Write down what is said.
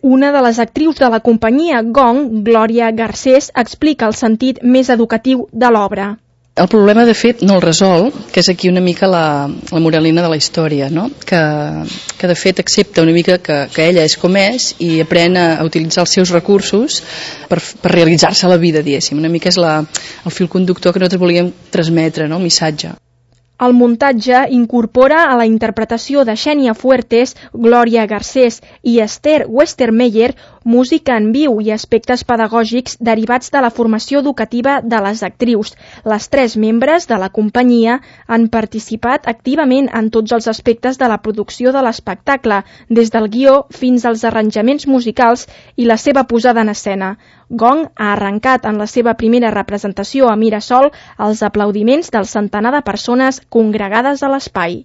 Una de les actrius de la companyia Gong, Glòria Garcés, explica el sentit més educatiu de l'obra. El problema, de fet, no el resol, que és aquí una mica la moralina de la història, no? que de fet accepta una mica que ella és com és i aprèn a utilitzar els seus recursos per realitzar-se a la vida, diguéssim. Una mica és el fil conductor que nosaltres volíem transmetre, no? El missatge. El muntatge incorpora a la interpretació de Xènia Fuertes, Glòria Garcés i Esther Westermeyer música en viu i aspectes pedagògics derivats de la formació educativa de les actrius. Les 3 membres de la companyia han participat activament en tots els aspectes de la producció de l'espectacle, des del guió fins als arranjaments musicals i la seva posada en escena. Gong ha arrencat en la seva primera representació a Mirasol els aplaudiments del centenar de persones congregades a l'espai.